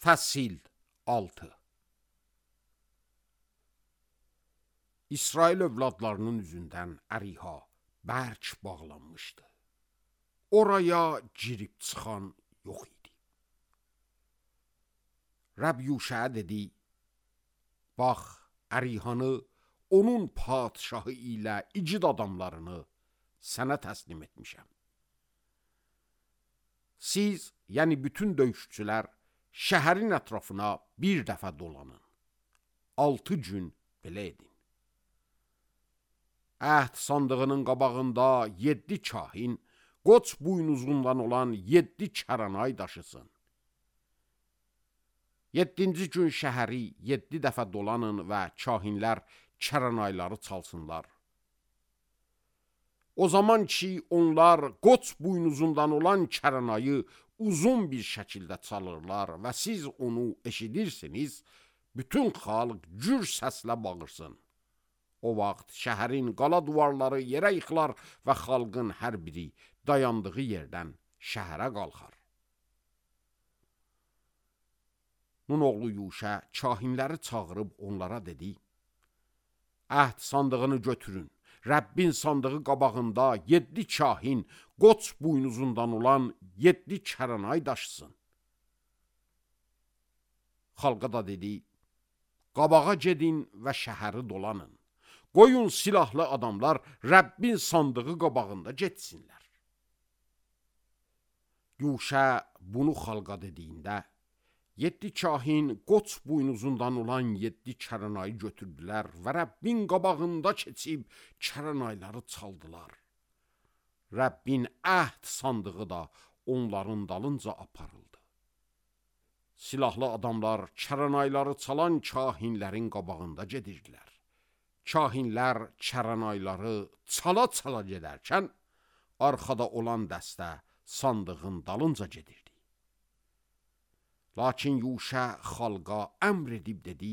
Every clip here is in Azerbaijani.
Fəsil 6. İsrail övladlarının üzündən əriha bərk bağlanmışdı. Oraya girib çıxan yox idi. Rəbb Yuşaya dedi, bax, ərihanı onun padşahı ilə igid adamlarını sənə təslim etmişəm. Siz, yəni bütün döyüşçülər, şəhərin ətrafına bir dəfə dolanın. 6 gün belə edin. Əhd sandığının qabağında 7 kahin, qoç buynuzundan olan 7 kəranay daşısın. 7-ci gün şəhəri 7 dəfə dolanın və kahinlər kəranayları çalsınlar. O zaman ki, onlar qoç buynuzundan olan kəranayı uzun bir şəkildə çalırlar və siz onu eşidirsiniz, bütün xalq gür səslə bağırsın. O vaxt şəhərin qala duvarları yerə yıxılar və xalqın hər biri dayandığı yerdən şəhərə qalxar. Nun oğlu Yuşa kahinləri çağırıb onlara dedi, əhd sandığını götürün. Rəbbin sandığı qabağında 7 kahin, qoç buynuzundan olan 7 kəranay daşısın. Xalqa da dedi, qabağa gedin və şəhəri dolanın. Qoyun silahlı adamlar Rəbbin sandığı qabağında getsinlər. Yuşa bunu xalqa dediyində, 7 kahin qoç buynuzundan olan 7 kəranayı götürdülər və Rəbbin qabağında keçib kəranayları çaldılar. Rəbbin əhd sandığı da onların dalınca aparıldı. Silahlı adamlar kəranayları çalan kahinlərin qabağında gedirdilər. Kahinlər kəranayları çala-çala gedərkən, arxada olan dəstə sandığın dalınca gedirdi. Lakin Yuşa xalqa əmr edib dedi,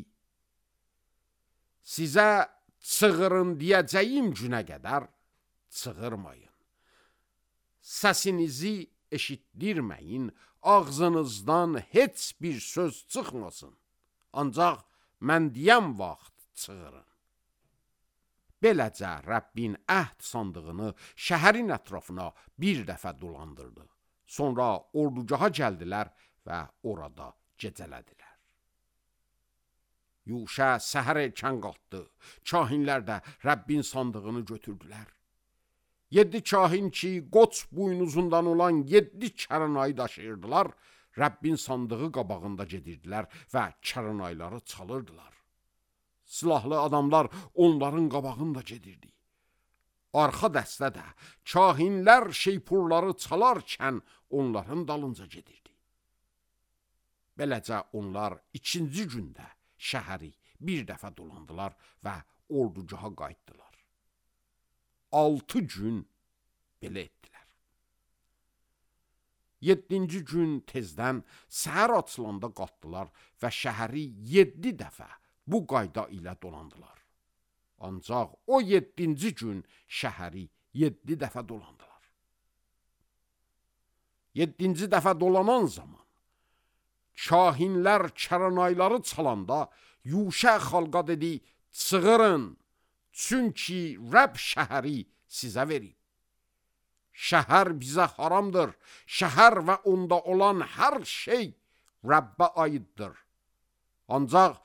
sizə çığırın deyəcəyim günə qədər çığırmayın. Səsinizi eşitdirməyin, ağzınızdan heç bir söz çıxmasın. Ancaq mən deyəm vaxt çığırın. Beləcə Rəbbin əhd sandığını şəhərin ətrafına bir dəfə dolandırdı. Sonra ordugaha gəldilər və orada gecələdilər. Yuşa səhər erkən qalxdı. Kahinlər də Rəbbin sandığını götürdülər. 7 kahin ki, qoç buynuzundan olan 7 kəranayı daşıyırdılar, Rəbbin sandığı qabağında gedirdilər və kəranayları çalırdılar. Silahlı adamlar onların qabağında gedirdi. Arxa dəstə də kahinlər şeypurları çalarkən onların dalınca gedirdi. Beləcə onlar 2-ci gündə şəhəri bir dəfə dolandılar və ordugaha qayıtdılar. 6 gün belə etdilər. 7-ci gün tezdən səhər açılanda qalxdılar və şəhəri 7 dəfə bu qayda ilə dolandılar. Ancaq o 7-ci gün şəhəri 7 dəfə dolandılar. 7-ci dəfə dolanan zaman kahinlər kəranayları çalanda Yuşa xalqa dedi, çığırın, çünki Rəbb şəhəri sizə verib. Şəhər bizə haramdır, şəhər və onda olan hər şey Rəbbə aiddir. Ancaq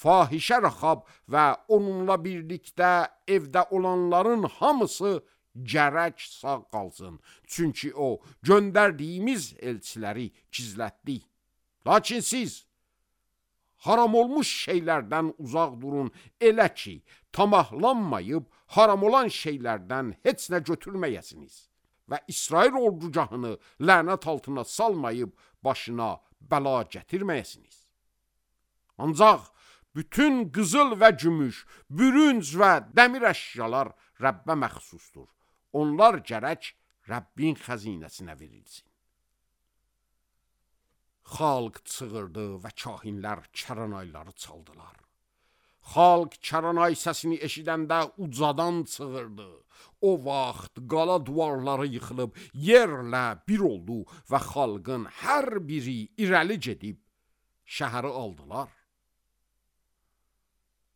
fahişə Rəxab və onunla birlikdə evdə olanların hamısı gərək sağ qalsın, çünki o göndərdiyimiz elçiləri gizlətdi. Lakin siz haram olmuş şeylərdən uzaq durun, elə ki, tamahlanmayıb haram olan şeylərdən heç nə götürməyəsiniz və İsrail ordugahını lənət altına salmayıb başına bəla gətirməyəsiniz. Ancaq bütün qızıl və gümüş, bürünc və dəmir əşyalar Rəbbə məxsusdur. Onlar gərək Rəbbin xəzinəsinə verilsin. Xalq çığırdı və kahinlər kəranayları çaldılar. Xalq kəranay səsini eşidəndə ucadan çığırdı. O vaxt qala duvarları yıxılıb, yerlə bir oldu və xalqın hər biri irəli gedib şəhəri aldılar.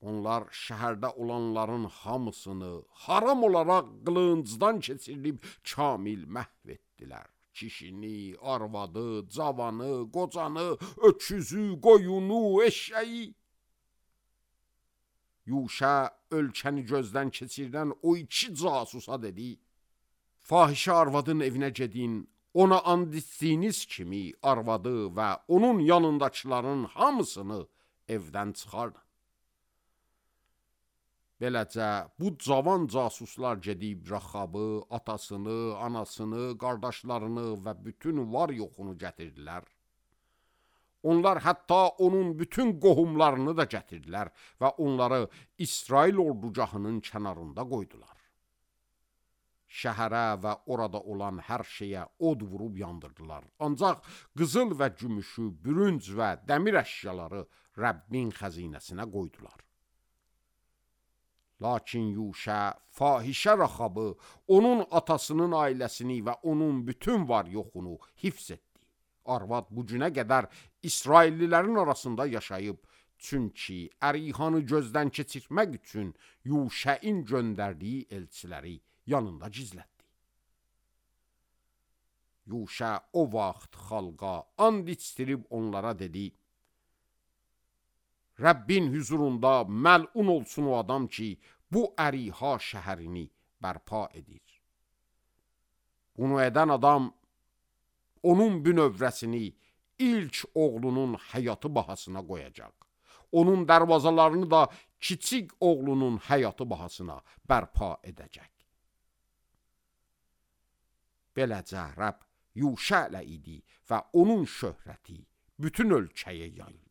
Onlar şəhərdə olanların hamısını haram olaraq qılıncdan keçirilib kamil məhv etdilər. Kişini, arvadı, cavanı, qocanı, öküzü, qoyunu, eşeği. Yuşa ölkəni gözdən keçirdən o 2 casusa dedi: fahişə arvadın evinə gedin, ona and içdiyiniz kimi arvadı və onun yanındakilərin hamısını evdən çıxardın. Beləcə bu cavan casuslar gedib Raxabı, atasını, anasını, qardaşlarını və bütün var yoxunu gətirdilər. Onlar hətta onun bütün qohumlarını da gətirdilər və onları İsrail ordugahının kənarında qoydular. Şəhərə və orada olan hər şeyə od vurub yandırdılar. Ancaq qızıl və gümüşü, bürünc və dəmir əşyaları Rəbbin xəzinəsinə qoydular. Lakin Yuşa fahişə Raxabı, onun atasının ailəsini və onun bütün var yoxunu hifz etdi. Arvad bu günə qədər İsraillilərin arasında yaşayıb, çünki Ərihanı gözdən keçirmək üçün Yuşəin göndərdiyi elçiləri yanında gizlətdi. Yuşa o vaxt xalqa and içdirib onlara dedi: Rəbbin huzurunda məlun olsun o adam ki, bu Əriha şəhərini bərpa edir. Bunu edən adam onun bünövrəsini ilk oğlunun həyatı bahasına qoyacaq. Onun dərvazalarını da kiçik oğlunun həyatı bahasına bərpa edəcək. Beləcə Rəbb Yuşa ilə idi və onun şöhrəti bütün ölkəyə yayıldı.